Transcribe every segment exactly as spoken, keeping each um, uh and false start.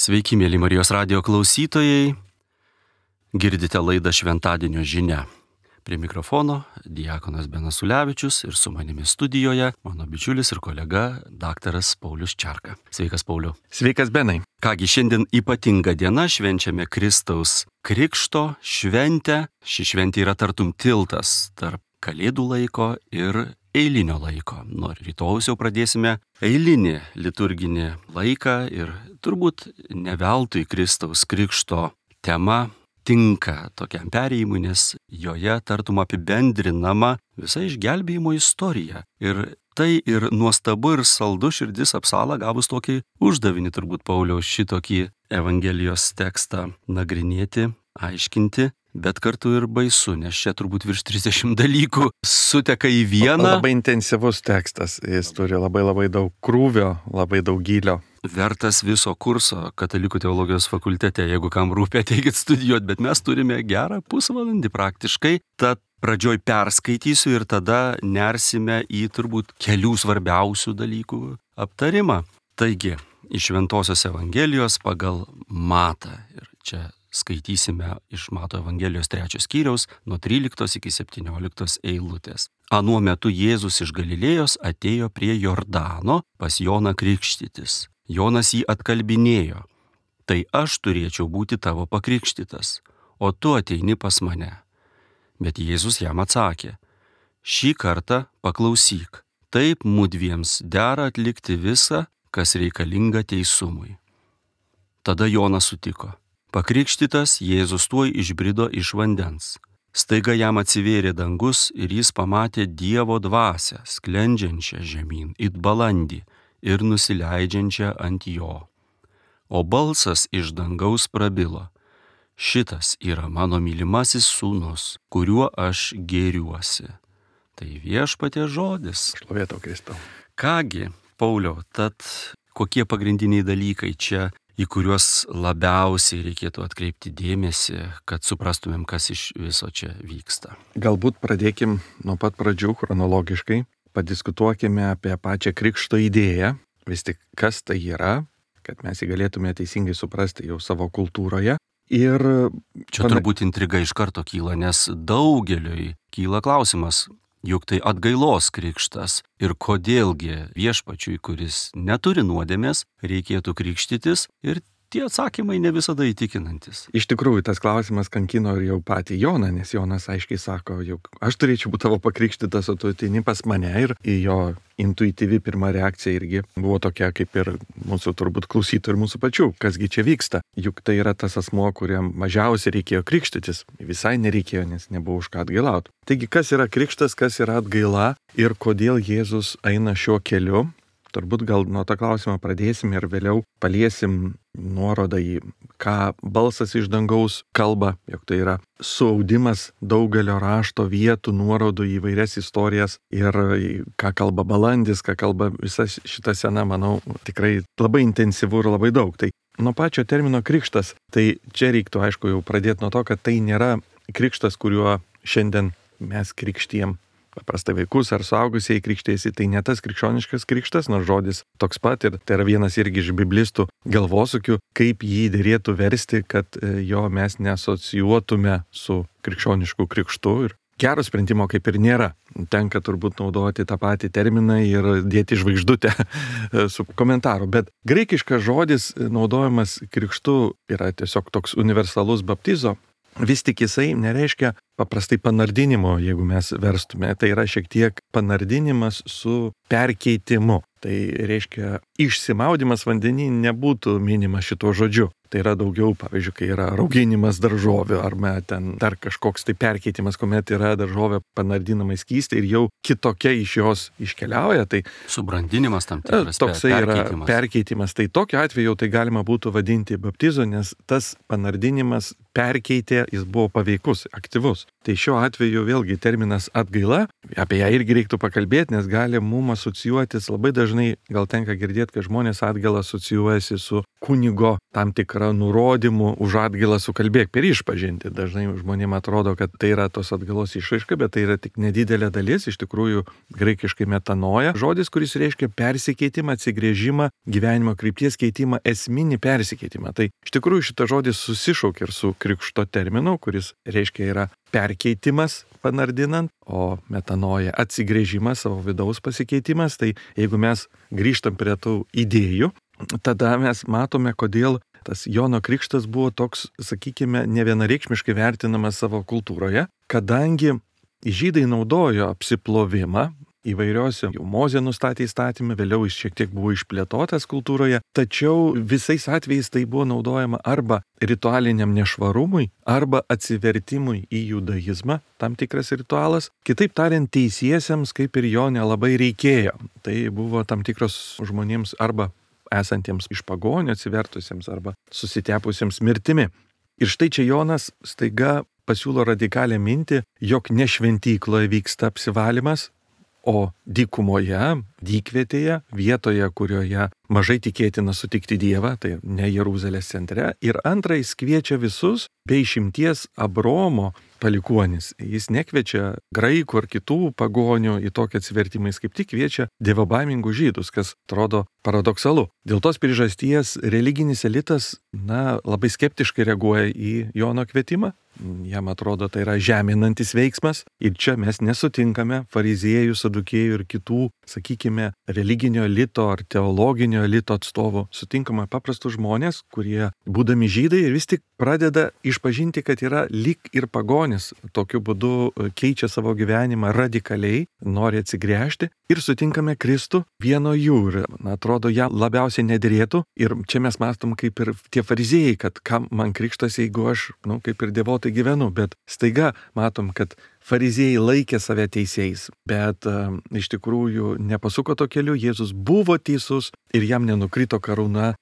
Sveiki, mėly Marijos radijo klausytojai. Girdite laidą Šventadienio žinia. Prie mikrofono diakonas Benas Ulevičius ir su manimi studijoje mano bičiulis ir kolega daktaras Paulius Čerka. Sveikas, Pauliu. Sveikas, Benai. Kągi, šiandien ypatinga diena, švenčiame Kristaus Krikšto šventę. Ši šventė yra tartum tiltas tarp Kalėdų laiko ir eilinio laiko. Nuo rytojaus jau pradėsime eilinį liturginį laiką ir turbūt ne veltui Kristaus Krikšto tema tinka tokiam perėjimui, nes joje tartum apibendrinama visa išgelbėjimo istorija. Ir tai ir nuostabu ir saldu širdis apsala gavus tokį uždavinį, turbūt Pauliaus, šitokį Evangelijos tekstą nagrinėti, aiškinti, bet kartu ir baisu, nes čia turbūt virš trisdešimt dalykų suteka į vieną. Labai intensyvus tekstas, jis turi labai labai daug krūvio, labai daug gylio. Vertas viso kurso Katalikų teologijos fakultete, jeigu kam rūpia, ateikit studijuoti, bet mes turime gerą pusvalandį praktiškai. Tad pradžioj perskaitysiu ir tada nersime į turbūt kelių svarbiausių dalykų aptarimą. Taigi, iš Šventosios Evangelijos pagal Matą. Ir čia skaitysime iš Mato Evangelijos trečios skyriaus nuo tryliktos iki septynioliktos eilutės. Anuo metu Jėzus iš Galilėjos atėjo prie Jordano pas Joną krikštytis. Jonas jį atkalbinėjo: tai aš turėčiau būti tavo pakrikštytas, o tu ateini pas mane. Bet Jėzus jam atsakė: šį kartą paklausyk, taip mudviems dera atlikti visą, kas reikalinga teisumui. Tada Jonas sutiko. Pakrikštytas Jėzus tuoj išbrido iš vandens. Staiga jam atsivėrė dangus ir jis pamatė Dievo dvasią, sklendžiančią žemyn it balandį ir nusileidžiančią ant jo. O balsas iš dangaus prabilo: šitas yra mano mylimasis sūnus, kuriuo aš gėriuosi. Tai Viešpaties žodis. Šlovė tau, Kristau. Kągi, Pauliau, tad kokie pagrindiniai dalykai čia, į kuriuos labiausiai reikėtų atkreipti dėmesį, kad suprastumėm, kas iš viso čia vyksta? Galbūt pradėkim nuo pat pradžių chronologiškai. Padiskutuokime apie pačią krikšto idėją, vis tik kas tai yra, kad mes jį galėtume teisingai suprasti jau savo kultūroje. Ir čia pana... turbūt intriga iš karto kyla, nes daugeliui kyla klausimas, juk tai atgailos krikštas ir kodėlgi Viešpačiui, kuris neturi nuodėmės, reikėtų krikštytis, ir tie atsakymai ne visada įtikinantis. Iš tikrųjų, tas klausimas kankino ir jau patį Joną, nes Jonas aiškiai sako, juk aš turėčiau būti tavo pakrikštytas, o tu ateini pas mane, ir jo intuityvi pirma reakcija irgi buvo tokia kaip ir mūsų turbūt klausytojų ir mūsų pačių. Kasgi čia vyksta? Juk tai yra tas asmuo, kuriam mažiausiai reikėjo krikštytis. Visai nereikėjo, nes nebuvo už ką atgailauti. Taigi, kas yra krikštas, kas yra atgaila ir kodėl Jėzus eina šiuo keliu? Turbūt gal nuo to klausimo pradėsim ir vėliau paliesim nuorodą į ką balsas iš dangaus kalba, jog tai yra suaudimas daugelio rašto vietų, nuorodų į vairias istorijas, ir ką kalba balandis, ką kalba visa šita sena, manau, tikrai labai intensyvu ir labai daug. Tai nuo pačio termino krikštas, tai čia reiktų aišku jau pradėti nuo to, kad tai nėra krikštas, kuriuo šiandien mes krikštijam paprastai vaikus ar suaugusieji krikštėsi. Tai ne tas krikščioniškas krikštas, nors žodis toks pat, ir tai yra vienas irgi iš biblistų galvosukių, kaip jį dėrėtų versti, kad jo mes neasocijuotume su krikščionišku krikštu. Ir gero sprendimo kaip ir nėra. Tenka turbūt naudoti tą patį terminą ir dėti žvaigždutę su komentaru. Bet graikiškas žodis naudojamas krikštu yra tiesiog toks universalus baptizo. Vis tik jisai nereiškia paprastai panardinimo, jeigu mes verstume. Tai yra šiek tiek panardinimas su perkeitimu. Tai reiškia, išsimaudimas vandenį nebūtų minimas šituo žodžiu. Tai yra daugiau, pavyzdžiui, kai yra rauginimas daržovių, arba ten dar kažkoks tai perkeitimas, kuomet yra daržovė panardinama į skystį ir jau kitokia iš jos iškeliauja. Tai subrandinimas tam tikras, toksai perkeitimas. Yra perkeitimas. Tai tokiu atveju tai galima būtų vadinti baptizo, nes tas panardinimas perkeitė, jis buvo paveikus, aktyvus. Tai šiuo atveju vėlgi terminas atgaila, apie ją irgi reiktų pakalbėti, nes gali mum asocijuotis, labai dažnai gal tenka girdėti, kad žmonės atgailą asocijuojasi su kunigo tam tikrą nurodymu už atgailą sukalbėk per išpažinti. Dažnai žmonėms atrodo, kad tai yra tos atgailos išraiška, bet tai yra tik nedidelė dalis, iš tikrųjų graikiškai metanoja, žodis, kuris reiškia persikeitimą, atsigrėžimą, gyvenimo krypties keitimą, esminį persikeitimą. Tai iš tikrųjų šitas žodis susišaukia ir su krikšto terminu, kuris reiškia yra perkeitimas panardinant, o metanoja atsigrėžimas, savo vidaus pasikeitimas. Tai jeigu mes grįžtam prie tų idėjų, tada mes matome, kodėl tas Jono krikštas buvo toks, sakykime, nevienareikšmiškai vertinamas savo kultūroje, kadangi žydai naudojo apsiplovimą įvairiose, jau Mozė nustatė įstatymą, vėliau jis šiek tiek buvo išplėtotas kultūroje, tačiau visais atvejais tai buvo naudojama arba ritualiniam nešvarumui, arba atsivertimui į judaizmą, tam tikras ritualas. Kitaip tariant, teisiesiems kaip ir jo nelabai reikėjo. Tai buvo tam tikros žmonėms arba esantiems iš pagonių atsivertusiems arba susitepusiems mirtimi. Ir štai čia Jonas staiga pasiūlo radikalią mintį, jog ne šventykloje vyksta apsivalymas, o dykumoje, dykvietėje, vietoje, kurioje mažai tikėtina sutikti Dievą, tai ne Jeruzalės centre. Ir antra, jis kviečia visus, be išimties Abromo palikuonis. Jis nekviečia graikų ar kitų pagonių į tokį atsivertimą, jis kaip tik kviečia dievobaimingus žydus, kas atrodo paradoksalu. Dėl tos priežasties religinis elitas, na, labai skeptiškai reaguoja į Jono kvietimą. Jam atrodo, tai yra žeminantis veiksmas. Ir čia mes nesutinkame fariziejų, sadukėjų ir kitų, sakykime, religinio elito ar teologinio elito atstovų. Sutinkame paprastus žmonės, kurie, būdami žydai, vis tik pradeda išpažinti, kad yra lyg ir pagonis. Tokiu būdu keičia savo gyvenimą radikaliai, nori atsigręžti. Ir sutinkame Kristų vieno jų. Ir, na, atrodo, jam labiausiai nederėtų. Ir čia mes mastom kaip ir tie fariziejai, kad kam man krikštas, jeigu aš, nu, kaip ir devotai gyvenu. Bet staiga matom, kad fariziejai laikė save teisėjais, bet uh, iš tikrųjų nepasuko to keliu, Jėzus buvo teisus ir jam nenukrito karūna,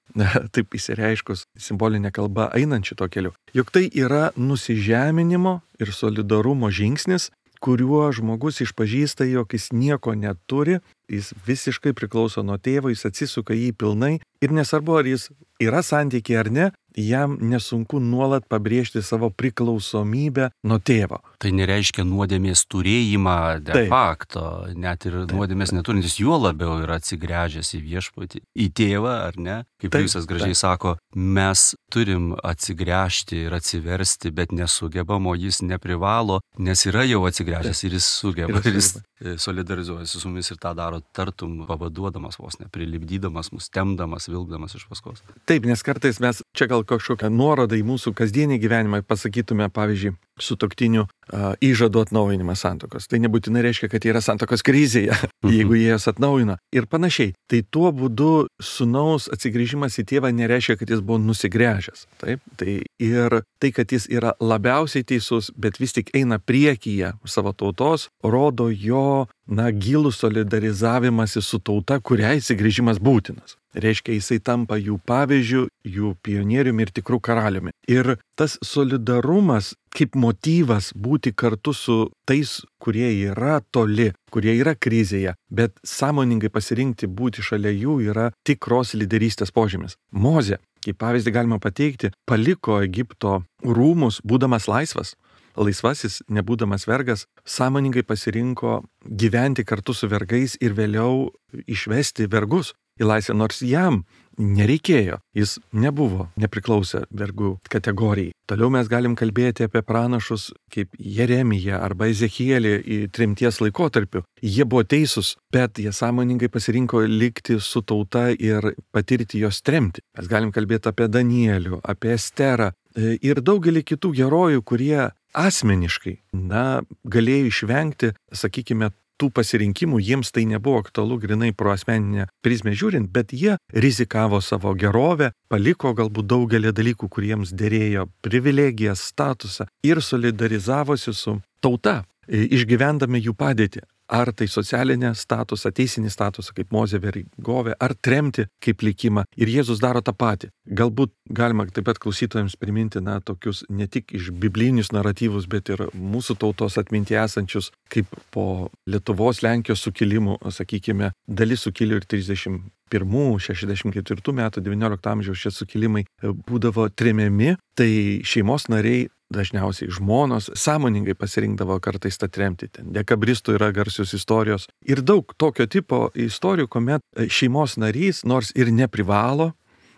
taip įsireiškus simbolinė kalba, einant šito keliu. Juk tai yra nusižeminimo ir solidarumo žingsnis, kuriuo žmogus išpažįsta, jog jis nieko neturi, jis visiškai priklauso nuo tėvo, jis atsisuka jį pilnai ir nesvarbu, ar jis yra santykiai ar ne, jam nesunku nuolat pabrėžti savo priklausomybę nuo tėvo. Tai nereiškia nuodėmės turėjimą de Taip. Facto, net ir Taip. Nuodėmės neturintis, juo labiau yra atsigręžęs į viešpatį, į tėvą, ar ne? Kaip Jusas gražiai Taip. Sako, mes turim atsigręžti ir atsiversti, bet nesugebam, o jis neprivalo, nes yra jau atsigręžęs Taip. Ir jis sugeba, ir jis solidarizuojasi su mumis ir tą daro tartum pavaduodamas vos ne, prilipdydamas mus, temdamas, vilkdamas iš paskos. Taip, nes kartais mes čia gal kažkokią nuorodą į mūsų kasdienį gyvenimą pasakytume, pavyzdžiui, sutuoktinių uh, įžadų atnaujinimas santuokos. Tai nebūtinai reiškia, kad jie yra santuokos krizėje, jeigu jie jas atnaujina. Ir panašiai. Tai tuo būdu sūnaus atsigrįžimas į tėvą nereiškia, kad jis buvo nusigręžęs. Taip? Tai ir tai, kad jis yra labiausiai teisus, bet vis tik eina priekyje savo tautos, rodo jo, na, gilų solidarizavimąsi su tauta, kuriai atsigrįžimas būtinas. Reiškia, jisai tampa jų pavyzdžių, jų pionieriumi ir tikrų karaliumi. Ir tas solidarumas kaip motyvas būti kartu su tais, kurie yra toli, kurie yra krizėje, bet sąmoningai pasirinkti būti šalia jų yra tikros lyderystės požymis. Mozė, kaip pavyzdį galima pateikti, paliko Egipto rūmus, būdamas laisvas. Laisvasis, nebūdamas vergas, sąmoningai pasirinko gyventi kartu su vergais ir vėliau išvesti vergus į laisvę, nors jam nereikėjo, jis nebuvo, nepriklausė vergų kategorijai. Toliau mes galim kalbėti apie pranašus kaip Jeremiją arba Ezechielį į tremties laikotarpiu. Jie buvo teisūs, bet jie sąmoningai pasirinko likti su tauta ir patirti jos tremtį. Mes galim kalbėti apie Danielių, apie Esterą ir daugelį kitų herojų, kurie asmeniškai, na, galėjo išvengti, sakykime, tų pasirinkimų, jiems tai nebuvo aktualu grinai pro asmeninę prizmę žiūrint, bet jie rizikavo savo gerovę, paliko galbūt daugelį dalykų, kuriems derėjo privilegijas, statusą ir solidarizavosi su tauta, išgyvendami jų padėtį. ar tai socialinę statusą, teisinį statusą, kaip Mozė vergovė, ar tremti kaip likimą. Ir Jėzus daro tą patį. Galbūt galima taip pat klausytojams priminti, na, tokius ne tik iš biblinius naratyvus, bet ir mūsų tautos atmintyje esančius, kaip po Lietuvos, Lenkijos sukilimų, sakykime, dalis sukilėlių ir trisdešimt pirmų, šešiasdešimt ketvirtų metų, devyniolikto amžiaus šie sukilimai būdavo tremiami, tai šeimos nariai, dažniausiai žmonos, sąmoningai pasirinkdavo kartais tą tremtį. Ten dekabristų yra garsios istorijos. Ir daug tokio tipo istorijų, kuomet šeimos narys, nors ir neprivalo,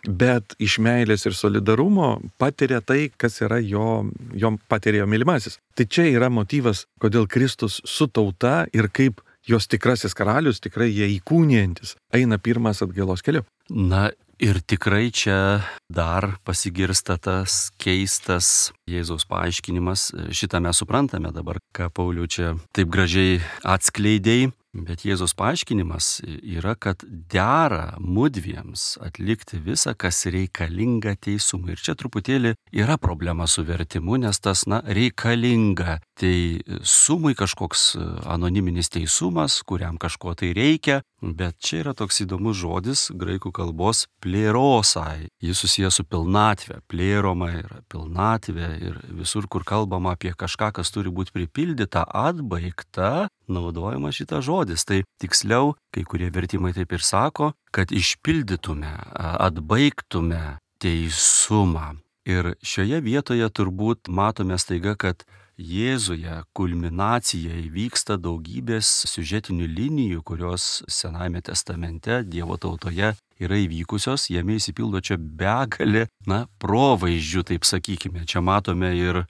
bet iš meilės ir solidarumo patiria tai, kas yra jo, jo patiria jo mylimasis. Tai čia yra motyvas, kodėl Kristus su tauta ir kaip jos tikrasis karalius, tikrai jie įkūnijantis, eina pirmas atgailos keliu. Na ir tikrai čia dar pasigirsta tas keistas Jėzaus paaiškinimas. Šitą mes suprantame dabar, ką Pauliau čia taip gražiai atskleidėjai. Bet Jėzaus paaiškinimas yra, kad dera mudviems atlikti visą, kas reikalinga teisumui. Ir čia truputėlį yra problema su vertimu, nes tas, na, reikalinga. Tai sumui kažkoks anoniminis teisumas, kuriam kažko tai reikia. Bet čia yra toks įdomus žodis graikų kalbos plėrosai. Jis susijęs su pilnatvė. Plėroma yra pilnatvė ir visur, kur kalbama apie kažką, kas turi būti pripildyta, atbaigta, naudojama šitas žodis. Tai tiksliau, kai kurie vertimai taip ir sako, kad išpildytume, atbaigtume teisumą. Ir šioje vietoje turbūt matome staiga, kad Jėzuje kulminacija įvyksta daugybės siužetinių linijų, kurios Senajame testamente Dievo tautoje yra įvykusios, jame įsipildo čia begalė, na, provaizdžių, taip sakykime. Čia matome ir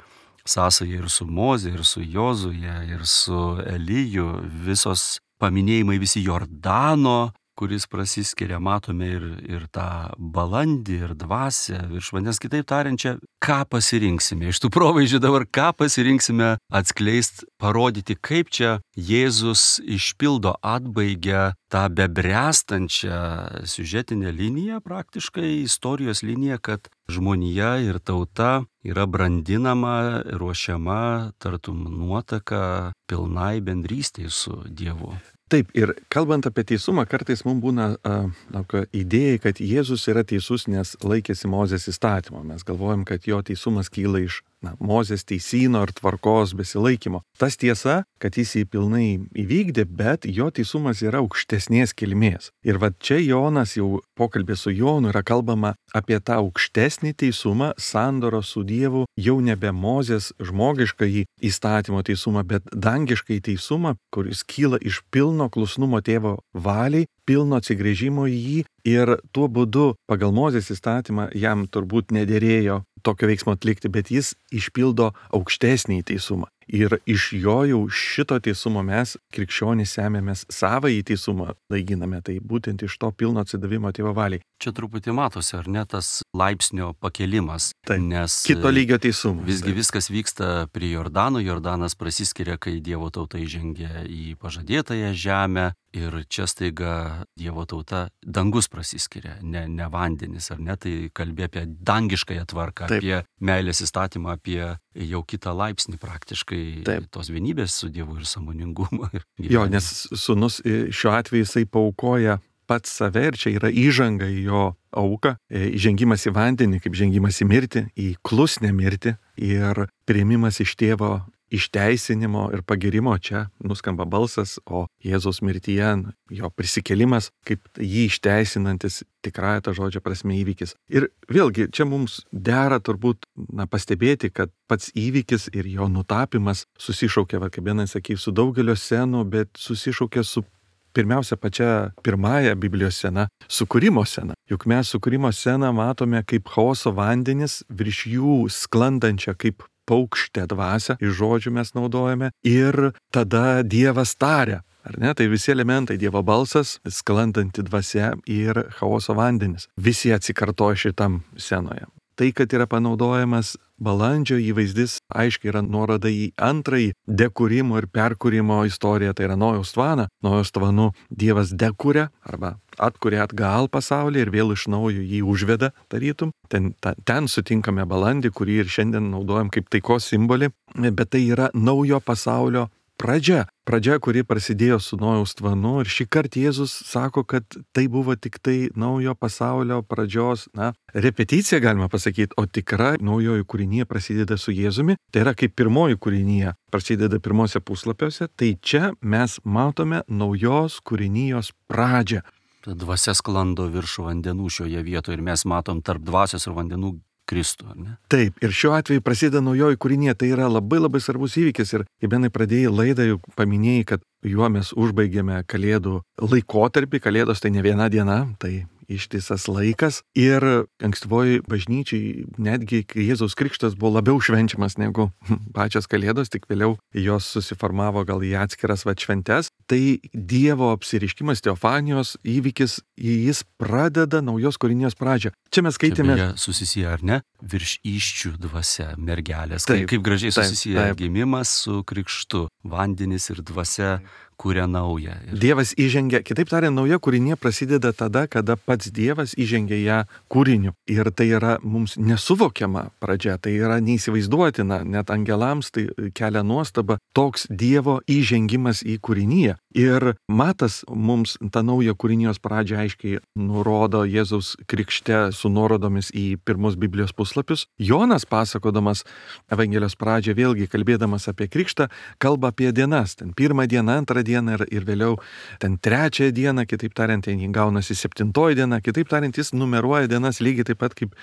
sąsąją ir su Moze, ir su Jozuje, ir su Eliju, visos paminėjimai visi Jordano, kuris prasiskiria, matome ir, ir tą balandį, ir dvasią virš vandens. Kitaip tariant, čia ką pasirinksime. Iš tų provaizdžių dabar ką pasirinksime atskleist, parodyti, kaip čia Jėzus išpildo, atbaigia tą bebręstančią siužetinę liniją, praktiškai istorijos liniją, kad žmonija ir tauta yra brandinama, ruošiama tartum nuotaka pilnai bendrystei su Dievu. Taip, ir kalbant apie teisumą, kartais mums būna uh, idėja, kad Jėzus yra teisus, nes laikėsi Mozės įstatymo. Mes galvojam, kad jo teisumas kyla iš na, Mozės teisyno ir tvarkos besilaikymo. Tas tiesa, kad jis jį pilnai įvykdė, bet jo teisumas yra aukštesnės kilmės. Ir va čia Jonas jau pokalbė su Jonu yra kalbama apie tą aukštesnį teisumą, sandoro su Dievu, jau nebe Mozės žmogiškąjį įstatymo teisumą, bet dangiškąjį teisumą, kuris kyla iš pilno klusnumo tėvo valiai, pilno atsigręžimo į jį ir tuo būdu pagal Mozės įstatymą jam turbūt nederėjo tokio veiksmo atlikti, bet jis išpildo aukštesnį teisumą. Ir iš jo jau šito teisumo mes, krikščionys, semėmės savąjį teisumą, laikiname, tai būtent iš to pilno atsidavimo tėvo valiai. Čia truputį matosi, ar ne, tas laipsnio pakelimas, tai, nes kito lygio teisumo. Visgi tai. Viskas vyksta prie Jordano, Jordanas prasiskiria, kai Dievo tauta įžengia į pažadėtąją žemę. Ir čia staiga Dievo tauta, dangus prasiskiria, ne, ne vandenis, ar ne, tai kalbė apie dangiškąją tvarką, Taip. Apie meilės įstatymą, apie jau kitą laipsnį praktiškai Taip. Tos vienybės su Dievu ir sąmoningumą. Jo, nes sūnus šiuo atveju jisai paaukoja pats save ir čia yra įžanga į jo auką, įžengimas į vandenį, kaip žengimas į mirtį, į klusnę mirtį ir priėmimas iš tėvo išteisinimo ir pagirimo. Čia nuskamba balsas, o Jėzaus mirtyje jo prisikėlimas kaip jį išteisinantis tikrąją to žodžio prasme įvykis. Ir vėlgi čia mums dera turbūt na, pastebėti, kad pats įvykis ir jo nutapimas susišaukia, va, kaip vienas sakė, su daugelio scenų, bet susišaukia su pirmiausia pačia pirmąja Biblijos scena, sukūrimo scena. Juk mes sukūrimo sceną matome kaip chaoso vandenis, virš jų sklandančią kaip paukštę dvasią, iš žodžių mes naudojame, ir tada Dievas taria. Ar ne? Tai visi elementai, Dievo balsas, sklandanti dvasia ir chaoso vandenis. Visi atsikartoja šitam scenoje. Tai, kad yra panaudojamas balandžio įvaizdis, aiškiai yra nuoroda į antrąjį dekūrimo ir perkūrimo istoriją, tai yra Nojaus tvaną. Nojaus tvanu Dievas dekuria arba atkuria atgal pasaulį ir vėl iš naujo jį užveda, tarytum. Ten, ta, ten sutinkame balandį, kurį ir šiandien naudojam kaip taikos simbolį, bet tai yra naujo pasaulio pradžia. Pradžia, kuri prasidėjo su Nojaus tvanu ir šį kartą Jėzus sako, kad tai buvo tik tai naujo pasaulio pradžios, na, repeticija galima pasakyti, o tikra naujoji kūrinija prasideda su Jėzumi. Tai yra kaip pirmoji kūrinija prasideda pirmose puslapiuose, tai čia mes matome naujos kūrinijos pradžią. Ta dvasia sklando virš vandenų šioje vietoje ir mes matom tarp dvasios ir vandenų Kristų, ar ne? Taip, ir šiuo atveju prasideda naujoji kūrinija, tai yra labai labai svarbus įvykis ir kaip vienai pradėjai laidą, jau paminėjai, kad juo mes užbaigėme Kalėdų laikotarpį, Kalėdos tai ne viena diena, tai ištisas laikas ir ankstyvoji bažnyčiai netgi Jėzaus krikštas buvo labiau švenčiamas negu pačios Kalėdos, tik vėliau jos susiformavo gal į atskiras va šventes. Tai Dievo apsiriškimas, teofanijos įvykis, jis pradeda naujos kūrinijos pradžią. Čia mes skaitėme... Čia beje susisiję, ar ne? Virš iščių dvasia, mergelės. Taip, kaip, kaip gražiai taip, susisiję taip. Gimimas su krikštu, vandenis ir dvasia kuria naują. Ir... Dievas įžengia, kitaip tariant, nauja kūrinė prasideda tada, kada pats Dievas įžengia ją kūriniu. Ir tai yra mums nesuvokiama pradžia, tai yra neįsivaizduotina, net angelams tai kelia nuostaba toks Dievo įžengimas į kūriniją. Ir Matas mums tą naują kūrinijos pradžią aiškiai nurodo Jėzaus krikšte su nuorodomis į pirmus Biblijos puslapius. Jonas pasakodamas Evangelijos pradžią, vėlgi kalbėdamas apie krikštą, kalba apie dienas. Ten pirmą dieną, antrą dieną ir, ir vėliau ten trečią dieną, kitaip tariant, ten jį gaunasi septintoji diena, kitaip tariant, jis numeruoja dienas lygiai taip pat kaip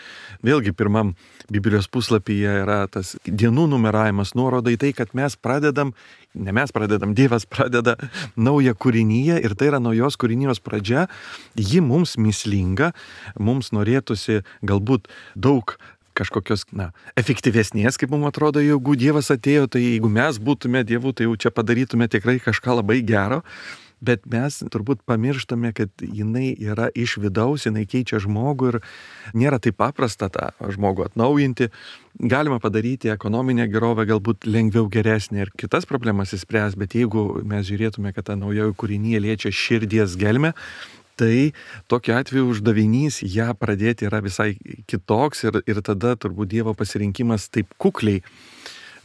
vėlgi pirmam Biblijos puslapyje yra tas dienų numeravimas, nuoroda į tai, kad mes pradedam, ne mes pradedam, Dievas pradeda naują kūriniją ir tai yra naujos kūrinijos pradžia, ji mums mįslinga, mums norėtųsi galbūt daug kažkokios, na, efektyvesnės, kaip mums atrodo, jeigu Dievas atėjo, tai jeigu mes būtume Dievu, tai jau čia padarytume tikrai kažką labai gero, bet mes turbūt pamirštame, kad jinai yra iš vidaus, jinai keičia žmogų ir nėra taip paprasta tą žmogų atnaujinti. Galima padaryti ekonominę gerovę galbūt lengviau geresnė ir kitas problemas įspręs, bet jeigu mes žiūrėtume, kad ta naujoji kūrinija liečia širdies gelmę, tai tokiu atveju uždavinys ją pradėti yra visai kitoks ir, ir tada turbūt Dievo pasirinkimas taip kukliai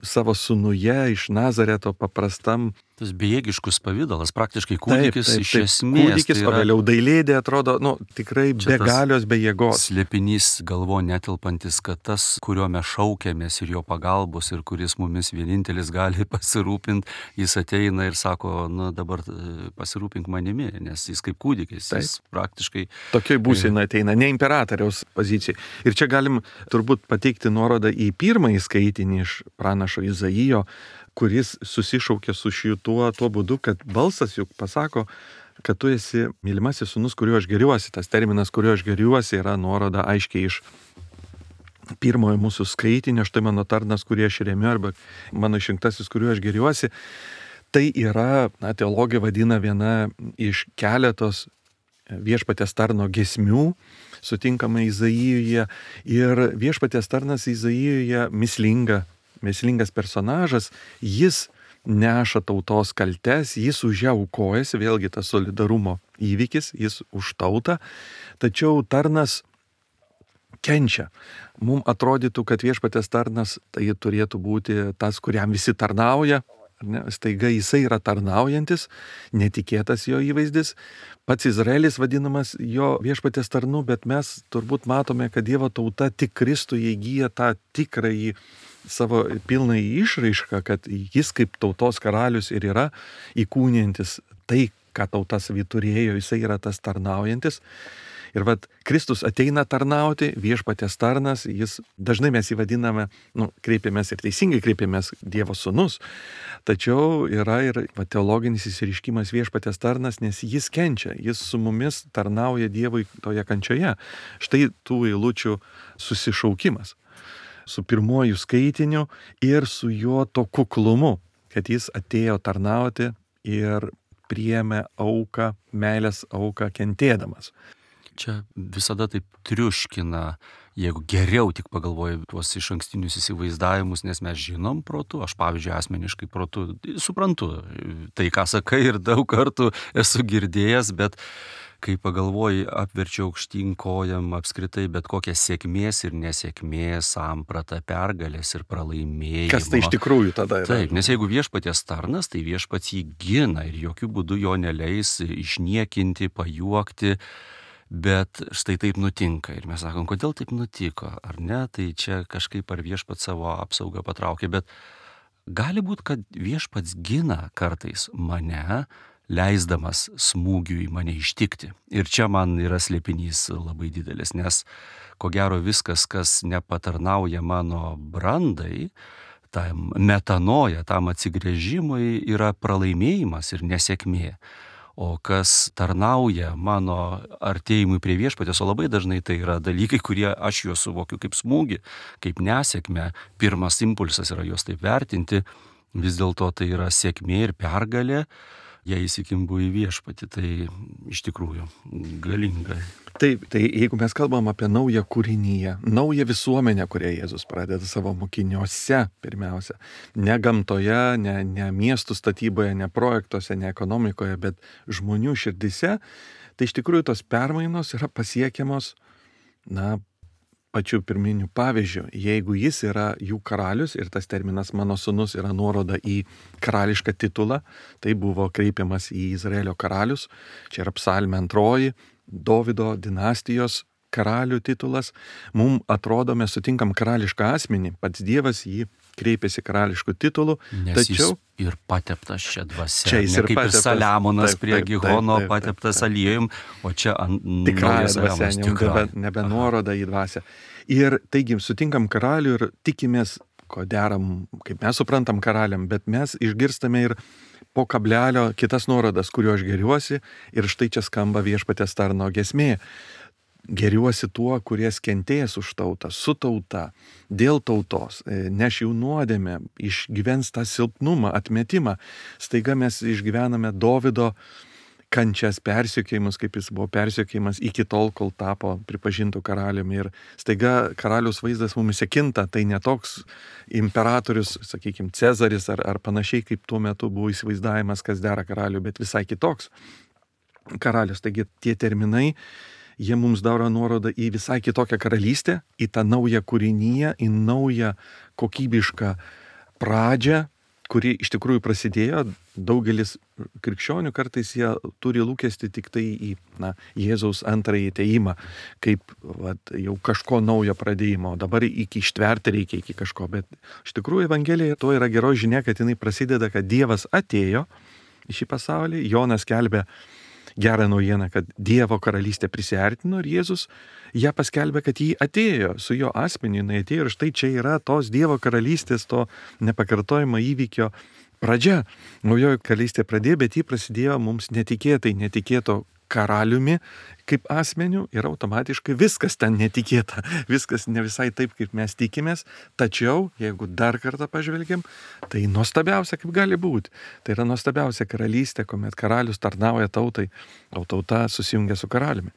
savo sūnuje iš Nazareto paprastam. Tas bejėgiškus pavidalas, praktiškai kūdikis taip, taip, iš taip, esmės. Kūdikis, tai o yra... vėliau dailėdė atrodo, nu, tikrai be galios, be jėgos. Slėpinys galvo netilpantis, kad tas, kuriuo mes šaukėmės ir jo pagalbos ir kuris mumis vienintelis gali pasirūpinti, jis ateina ir sako, na dabar pasirūpink manimi, nes jis kaip kūdikis, taip. Jis praktiškai... Tokioj būsena ateina, ne imperatoriaus pozicijai. Ir čia galim turbūt pateikti nuorodą į pirmąjį skaitinį iš pranašo Izaijo, kuris susišaukia su šituo tuo būdu, kad balsas juk pasako, kad tu esi mylimasis sūnus, kuriuo aš geriuosi. Tas terminas, kuriuo aš geriuosi, yra nuoroda aiškiai iš pirmojo mūsų skaitinio, štai mano tarnas, kurį aš remiu, arba mano išrinktasis, kuriuo aš geriuosi. Tai yra, na, teologija vadina viena iš keletos viešpaties tarno giesmių, sutinkama Izaijuje. Ir viešpaties tarnas Izaijuje mislinga Mėslingas personažas, jis neša tautos kaltes, jis už ją aukojasi, vėlgi tas solidarumo įvykis, jis už tautą, tačiau tarnas kenčia. Mums atrodytų, kad viešpatės tarnas tai turėtų būti tas, kuriam visi tarnauja, ne? Staiga jisai yra tarnaujantis, netikėtas jo įvaizdis, pats Izraelis vadinamas jo viešpatės tarnu, bet mes turbūt matome, kad Dievo tauta tik Kristuje įgyja tą tikrąjį savo pilnai išraišką, kad jis kaip tautos karalius ir yra įkūnijantis tai, ką tauta savy turėjo, jisai yra tas tarnaujantis. Ir vat Kristus ateina tarnauti, viešpaties tarnas, jis dažnai mes jį vadiname, nu, kreipiamės ir teisingai kreipiamės Dievo sūnus, tačiau yra ir va, teologinis įsiriškimas viešpaties tarnas, nes jis kenčia, jis su mumis tarnauja Dievui toje kančioje. Štai tų eilučių susišaukimas su pirmuoju skaitiniu ir su jo to kuklumu, kad jis atėjo tarnauti ir priėmė auką, meilės auką kentėdamas. Čia visada taip triuškina, jeigu geriau tik pagalvoju tuos iš ankstinius įsivaizdavimus, nes mes žinom protu, aš pavyzdžiui asmeniškai protu suprantu tai, ką sakai ir daug kartų esu girdėjęs, bet kai pagalvoji, apverčia aukštyn kojam apskritai bet kokią sėkmės ir nesėkmės sampratą, pergalės ir pralaimėjimo. Kas tai iš tikrųjų tada yra? Taip, nes jeigu viešpaties tarnas, tai viešpats jį gina ir jokių būdų jo neleis išniekinti, pajuokti. Bet štai taip nutinka ir mes sakom, kodėl taip nutiko, ar ne, tai čia kažkaip ar viešpats savo apsaugą patraukė, bet gali būti, kad viešpats gina kartais mane, leisdamas smūgiui mane ištikti. Ir čia man yra slėpinys labai didelis, nes ko gero viskas, kas nepatarnauja mano brandai, tam metanoja, tam atsigręžimui yra pralaimėjimas ir nesėkmė. O kas tarnauja mano artėjimui prie viešpatės, o labai dažnai tai yra dalykai, kurie aš juos suvokiu kaip smūgį, kaip nesėkmę. Pirmas impulsas yra juos taip vertinti, vis dėlto tai yra sėkmė ir pergalė, jei įsikimbu į viešpatį, tai iš tikrųjų galinga. Taip, tai jeigu mes kalbam apie naują kūrinyje, naują visuomenę, kurią Jėzus pradeda savo mokiniuose pirmiausia, ne gamtoje, ne, ne miestų statyboje, ne projektuose, ne ekonomikoje, bet žmonių širdise, tai iš tikrųjų tos permainos yra pasiekiamos, na, pačiu pirminiu pavyzdžiu. Jeigu jis yra jų karalius ir tas terminas mano sūnus yra nuoroda į karališką titulą, tai buvo kreipiamas į Izraelio karalius, čia yra psalmė antroji, Dovido dinastijos karalių titulas. Mums atrodo, mes sutinkam karališką asmenį, pats Dievas jį kreipėsi karališkų titulų, nes tačiau jis ir pateptas čia dvasia. Čia jis ne ir kaip pateptas. ir Saliamonas Taip, prie taip, Gihono taip, taip, pateptas taip, taip. aliejum, o čia ant tikrąją dvasią, naujas jau nebe, nebe nuoroda į dvasią. Ir taigi sutinkam karalių ir tikimės, ko deram, kaip mes suprantam karaliam, bet mes išgirstame ir po kablelio kitas nuorodas, kuriuo aš geriuosi, ir štai čia skamba viešpaties tarno giesmė. Geriuosi tuo, kuries kentės už tautą, su tauta, dėl tautos, neš jų nuodėmę, išgyvens tą silpnumą, atmetimą. Staiga mes išgyvename Dovido kančias, persekiojimus, kaip jis buvo persekiojimas iki tol, kol tapo pripažintų karaliumi. Ir staiga karalius vaizdas mumise kinta, tai ne toks imperatorius, sakykime, Cezaris ar, ar panašiai, kaip tuo metu buvo įsivaizdavimas, kas dera karaliui, bet visai kitoks karalius. Taigi tie terminai, jie mums daro nuorodą į visai kitokią karalystę, į tą naują kūrinyje, į naują kokybišką pradžią, kuri iš tikrųjų prasidėjo. Daugelis krikščionių kartais jie turi lūkesti tik tai į na, Jėzaus antrąjį atėjimą, kaip vat, jau kažko naujo pradėjimo. Dabar iki ištverti reikia iki kažko, bet iš tikrųjų Evangelija to yra geroji žinia, kad jinai prasideda, kad Dievas atėjo į šį pasaulį. Jonas skelbė gerą naujieną, kad Dievo karalystė prisiartino ir Jėzus ją paskelbė, kad jį atėjo su jo asmeniu, jinai atėjo ir štai čia yra tos Dievo karalystės, to nepakartojimo įvykio pradžia. Naujoji karalystė pradėjo, bet jį prasidėjo mums netikėtai, netikėto karaliumi kaip asmeniu ir automatiškai viskas ten netikėta, viskas ne visai taip, kaip mes tikimės, tačiau jeigu dar kartą pažvelgiam, tai nuostabiausia, kaip gali būti. Tai yra nuostabiausia karalystė, kuomet karalius tarnauja tautai, o tauta susijungia su karaliumi.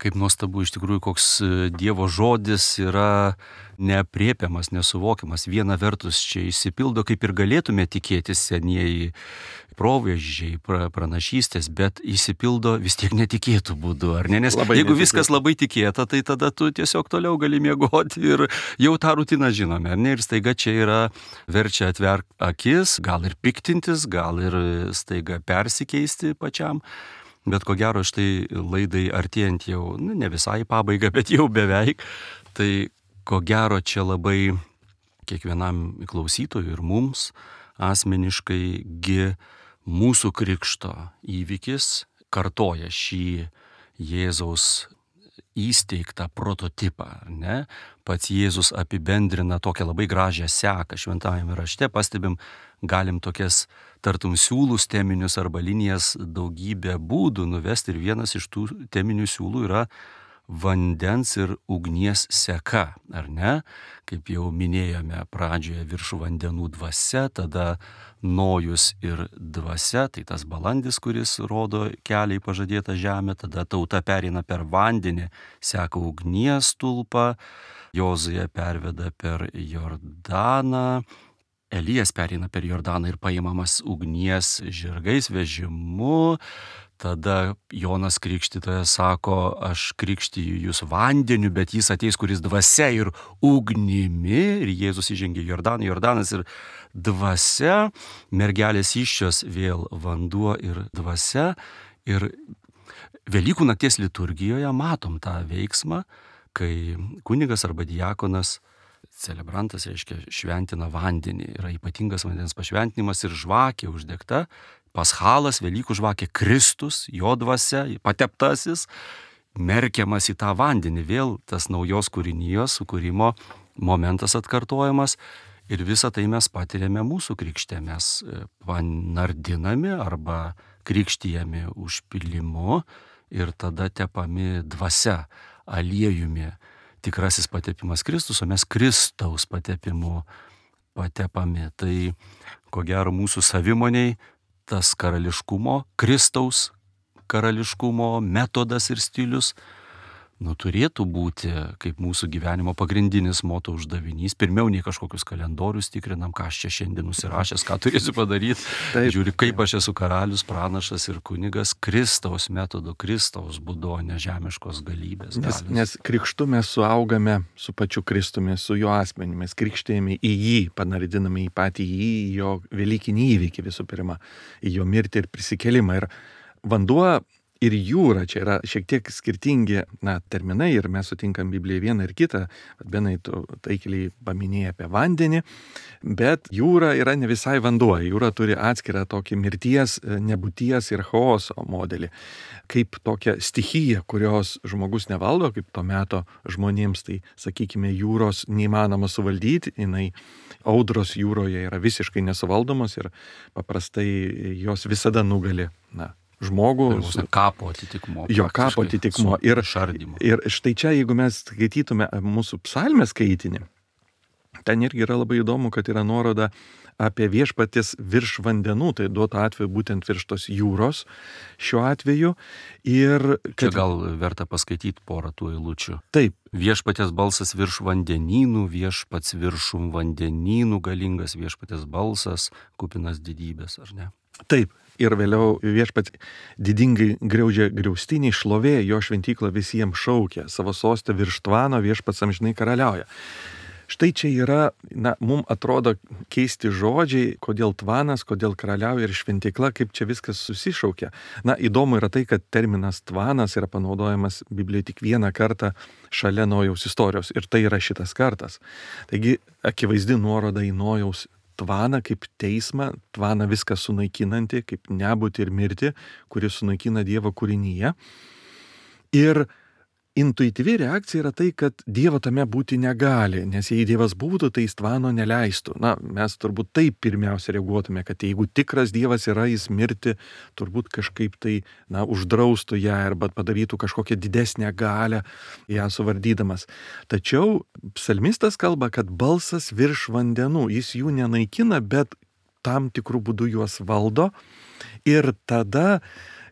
Kaip nuostabu, iš tikrųjų, koks Dievo žodis yra neaprėpiamas, nesuvokiamas. Viena vertus čia išsipildo, kaip ir galėtume tikėtis senieji proveržiai, pra, pranašystės, bet išsipildo vis tiek netikėtų būdų, ar ne? Nes labai jeigu netikėtų. Viskas labai tikėta, tai tada tu tiesiog toliau gali miegoti ir jau tą rutiną žinome, ar ne? Ir staiga čia yra verčia atverk akis, gal ir piktintis, gal ir staiga persikeisti pačiam. Bet ko gero štai laidai artėjant jau, nu, ne visai pabaiga, bet jau beveik, tai ko gero čia labai kiekvienam klausytojui ir mums asmeniškai gi mūsų krikšto įvykis kartoja šį Jėzaus įsteigtą prototipą, ne? Pats Jėzus apibendrina tokią labai gražią seką šventajame rašte, pastebim, galim tokias tartum siūlus teminius arba linijas daugybę būdų nuvesti ir vienas iš tų teminių siūlų yra vandens ir ugnies seka, ar ne? Kaip jau minėjome pradžioje, virš vandenų dvasia, tada nojus ir dvasia, tai tas balandis, kuris rodo kelią į pažadėtą žemę, tada tauta pereina per vandenį, seka ugnies stulpą, Jozuė perveda per Jordaną, Elijas pereina per Jordaną ir paimamas ugnies žirgais vežimu. Tada Jonas Krikštytojas sako, aš krikštiju jūs vandeniu, bet jis ateis, kuris dvasia ir ugnimi. Ir Jėzus įžengė į Jordaną, Jordanas ir dvasia. Mergelės įsčios vėl vanduo ir dvasia. Ir Velykų nakties liturgijoje matom tą veiksmą, kai kunigas arba diakonas, celebrantas, reiškia, šventina vandenį. Yra ypatingas vandens pašventinimas ir žvakė uždegta. Paschalas, Velykų žvakė, Kristus, jo dvasia, pateptasis, merkiamas į tą vandenį. Vėl tas naujos kūrinijos sukūrimo momentas atkartojamas. Ir visą tai mes patiriame mūsų krikšte. Mes panardinami arba krikštijami užpilimu ir tada tepami dvasia, aliejumi. Tikrasis patepimas Kristus, o mes Kristaus patepimu patepami. Tai ko gero mūsų savimoniai tas karališkumo, Kristaus karališkumo metodas ir stilius, nu, turėtų būti kaip mūsų gyvenimo pagrindinis moto uždavinys. Pirmiau nei kažkokius kalendorius tikrinam, ką aš čia šiandien nusirašęs, ką turėsiu padaryti. Taip, žiūri, kaip aš esu karalius, pranašas ir kunigas, Kristaus metodu, Kristaus būdu, ne žemiškos galybės. Nes, nes krikštu mes suaugame su pačiu Kristumi, su jo asmeniu, mes krikštėjame į jį, panardiname į patį jį, į jo velykinį įvykį visų pirma, į jo mirtį ir prisikelimą. Ir vanduo ir jūra čia yra šiek tiek skirtingi, na, terminai, ir mes sutinkam Bibliją vieną ir kitą. Benai, tu taikliai paminėjai apie vandenį, bet jūra yra ne visai vanduo. Jūra turi atskirą tokį mirties, nebūties ir chaoso modelį. Kaip tokia stichija, kurios žmogus nevaldo, kaip to meto žmonėms, tai, sakykime, jūros neįmanoma suvaldyti, jinai audros jūroje yra visiškai nesuvaldomos ir paprastai jos visada nugali, na, žmogų. Su kapo atitikmo. Jo kapo atitikmo. Ir, ir štai čia, jeigu mes skaitytume mūsų psalmės skaitinį, ten irgi yra labai įdomu, kad yra nuoroda apie viešpaties virš vandenų, tai duotų atveju būtent virš tos jūros šiuo atveju. Ir kad... Čia gal verta paskaityti porą tų eilučių. Taip. Viešpaties balsas virš vandenynų, viešpats viršum vandenynų, galingas viešpaties balsas, kupinas didybės, ar ne? Taip. Ir vėliau viešpats didingai griaudžia griaustinį, šlovė, jo šventyklą visiems šaukia, savo sostę virš tvano viešpats amžinai karaliauja. Štai čia yra, na, mums atrodo keisti žodžiai, kodėl tvanas, kodėl karaliauja ir šventykla, kaip čia viskas susišaukia. Na, įdomu yra tai, kad terminas tvanas yra panaudojamas Biblijoje tik vieną kartą šalia Nojaus istorijos, ir tai yra šitas kartas. Taigi, akivaizdi nuoroda į Nojaus tvaną kaip teismą, tvaną viską sunaikinantį, kaip nebūtį ir mirtį, kuris sunaikina Dievo kūrinyje. Ir intuityvi reakcija yra tai, kad Dievo tame būti negali, nes jei Dievas būtų, tai jis tvano neleistų. Na, mes turbūt taip pirmiausia reaguotume, kad jeigu tikras Dievas yra, jis mirti turbūt kažkaip tai, na, uždraustų ją arba padarytų kažkokią didesnę galią ją suvardydamas. Tačiau psalmistas kalba, kad balsas virš vandenų, jis jų nenaikina, bet tam tikrų būdų juos valdo. Ir tada,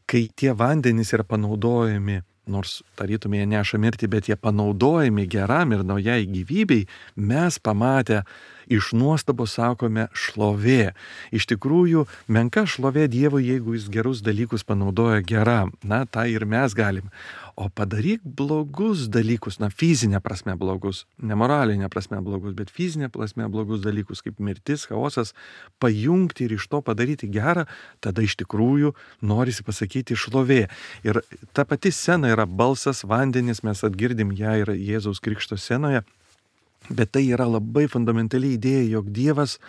kai tie vandenys yra panaudojami, nors tarytume jie neša mirtį, bet jie panaudojami geram ir naujai gyvybei, mes pamatę iš nuostabos sakome šlovė. Iš tikrųjų, menka šlovė Dievui, jeigu jis gerus dalykus panaudoja geram. Na, tą ir mes galim. O padaryk blogus dalykus, na, fizinė prasme blogus, ne moralinė prasme blogus, bet fizinė prasme blogus dalykus, kaip mirtis, chaosas, pajungti ir iš to padaryti gerą, tada iš tikrųjų norisi pasakyti šlovė. Ir ta pati scena yra balsas, vandenis, mes atgirdim ją ir Jėzaus Krikšto scenoje, bet tai yra labai fundamentali idėja, jog Dievas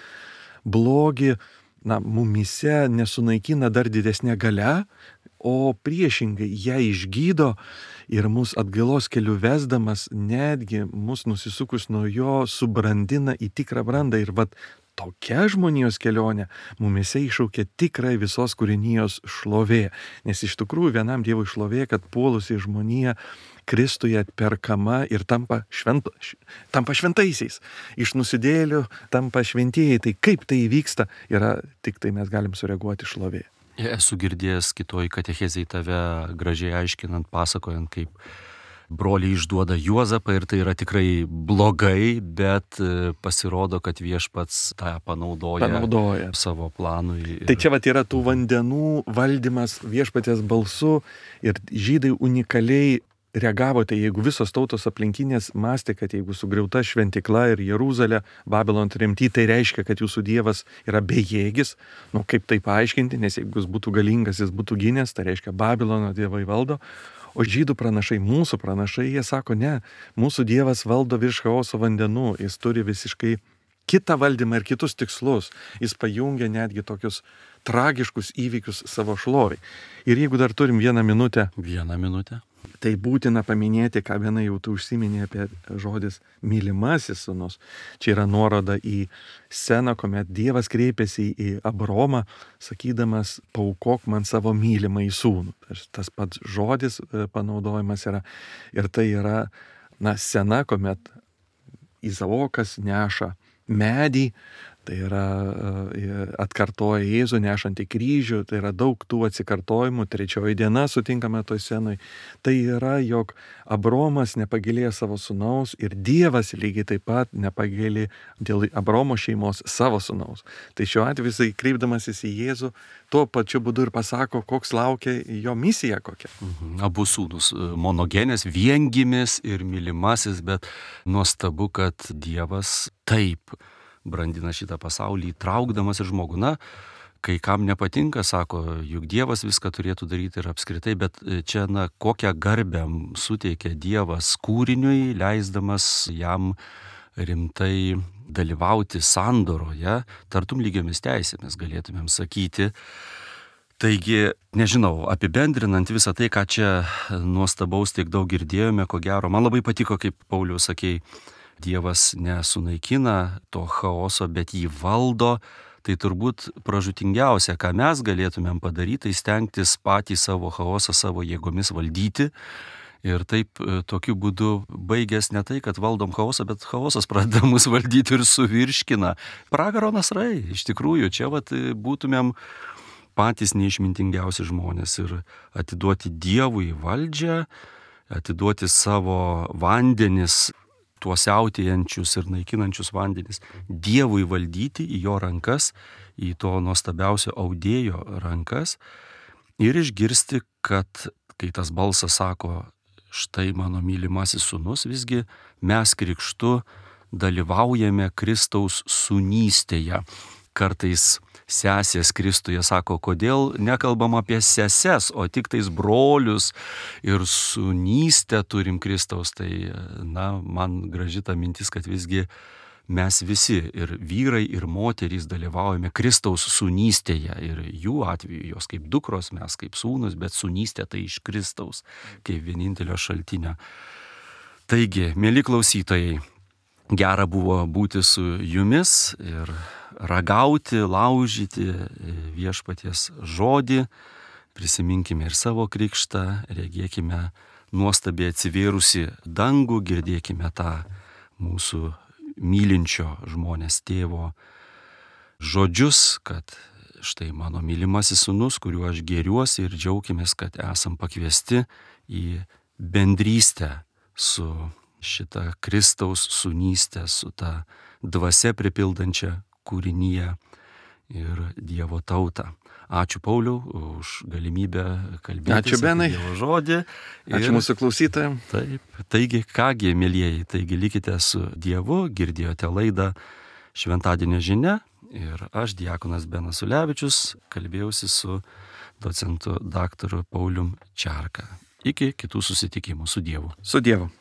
blogį, na, mumyse nesunaikina dar didesnė galia, o priešingai ją išgydo ir mus atgailos keliu vesdamas, netgi mus nusisukus nuo jo subrandina į tikrą brandą. Ir vat tokia žmonijos kelionė mumyse iššaukia tikrai visos kūrinijos šlovė. Nes iš tikrųjų vienam Dievui šlovė, kad puolusi žmonija Kristuje atperkama ir tampa, švento, tampa šventaisiais. Iš nusidėlių tampa šventieji. Tai kaip tai įvyksta, yra tik tai mes galim sureaguoti šlovė. Esu girdėjęs kitoj katechezėj tave gražiai aiškinant, pasakojant, kaip broliai išduoda Juozapą ir tai yra tikrai blogai, bet pasirodo, kad viešpats tą panaudoja, panaudoja. savo planui. Ir... Tai čia vat yra tų vandenų valdymas viešpaties balsu ir žydai unikaliai reagavo, tai jeigu visos tautos aplinkinės mąstė, kad jeigu sugriauta šventikla ir Jeruzalė, Babilon tremty, tai reiškia, kad jūsų Dievas yra bejėgis. Nu, kaip tai paaiškinti, nes jeigu jis būtų galingas, jis būtų gynęs, tai reiškia Babilono dievai valdo. O žydų pranašai, mūsų pranašai, jie sako, ne, mūsų Dievas valdo virš chaoso vandenų, jis turi visiškai kitą valdymą ir kitus tikslus. Jis pajungia netgi tokius tragiškus įvykius savo šloviai. Ir jeigu dar turim vieną minutę. Vieną minutę. Tai būtina paminėti, ką viena jau tu užsiminė apie žodis mylimasis sūnus. Čia yra nuoroda į sceną, kuomet Dievas kreipėsi į Abromą, sakydamas, paaukok man savo mylimą į sūnų. Tas pats žodis panaudojimas yra. Ir tai yra, na, scena, kuomet Izaokas neša medį, tai yra atkartoja Jėzų nešantį kryžių, tai yra daug tų atsikartojimų, trečioji diena sutinkame toj scenoj. Tai yra, jog Abromas nepagailėjo savo sūnaus ir Dievas lygiai taip pat nepagailė dėl Abromo šeimos savo sūnaus. Tai šiuo atveju jisai kreipdamasis į Jėzų, tuo pačiu būdu ir pasako, koks laukia jo misija kokia. Mhm. Abu sūnus monogenės, viengimis ir mylimasis, bet nuostabu, kad Dievas taip brandina šitą pasaulį, įtraukdamas ir žmogų. Na, kai kam nepatinka, sako, juk Dievas viską turėtų daryti ir apskritai, bet čia, na, kokią garbę suteikia Dievas kūriniui, leisdamas jam rimtai dalyvauti sandoroje, tartum lygiomis teisėmis, galėtumėm sakyti. Taigi, nežinau, apibendrinant visą tai, ką čia nuostabaus tiek daug girdėjome, ko gero, man labai patiko, kaip Paulius sakei, Dievas nesunaikina to chaoso, bet jį valdo. Tai turbūt pražūtingiausia, ką mes galėtumėm padaryti, tai stengtis patį savo chaosą savo jėgomis valdyti. Ir taip tokiu būdu baigęs ne tai, kad valdom chaosą, bet chaosas pradeda mus valdyti ir suvirškina. Pragaro nasrai, iš tikrųjų, čia vat būtumėm patys neišmintingiausi žmonės ir atiduoti Dievui valdžią, atiduoti savo vandenis, tuos siautėjančius ir naikinančius vandenis Dievui valdyti į jo rankas, į to nuostabiausio audėjo rankas ir išgirsti, kad kai tas balsas sako, štai mano mylimasis sūnus, visgi mes krikštu dalyvaujame Kristaus sūnystėje. Kartais sesės Kristuje sako, kodėl nekalbam apie seses, o tik tais brolius ir sūnystę turim Kristaus. Tai, na, man graži ta mintis, kad visgi mes visi ir vyrai, ir moterys dalyvaujame Kristaus sūnystėje. Ir jų atveju jos kaip dukros, mes kaip sūnus, bet sūnystė tai iš Kristaus, kaip vienintelio šaltinio. Taigi, mieli klausytojai, gera buvo būti su jumis ir ragauti, laužyti viešpaties žodį, prisiminkime ir savo krikštą, regėkime nuostabiai atsivėrusi dangų, girdėkime tą mūsų mylinčio žmonės tėvo žodžius, kad štai mano mylimasis sūnus, kuriuo aš gėriuosi ir džiaukimės, kad esam pakviesti į bendrystę su šita Kristaus sūnystė, su ta dvasia pripildančia kūrinyje ir Dievo tautą. Ačiū Pauliau už galimybę kalbėti apie Dievo žodį. Ir, ačiū mūsų klausytojams. Taip, taigi kągi, mielieji, taigi likite su Dievu, girdėjote laidą Šventadienio žinia ir aš, diakonas Benas Ulevičius, kalbėjausi su docentu daktaru Paulium Čerka. Iki kitų susitikimų. Su Dievu. Su Dievu.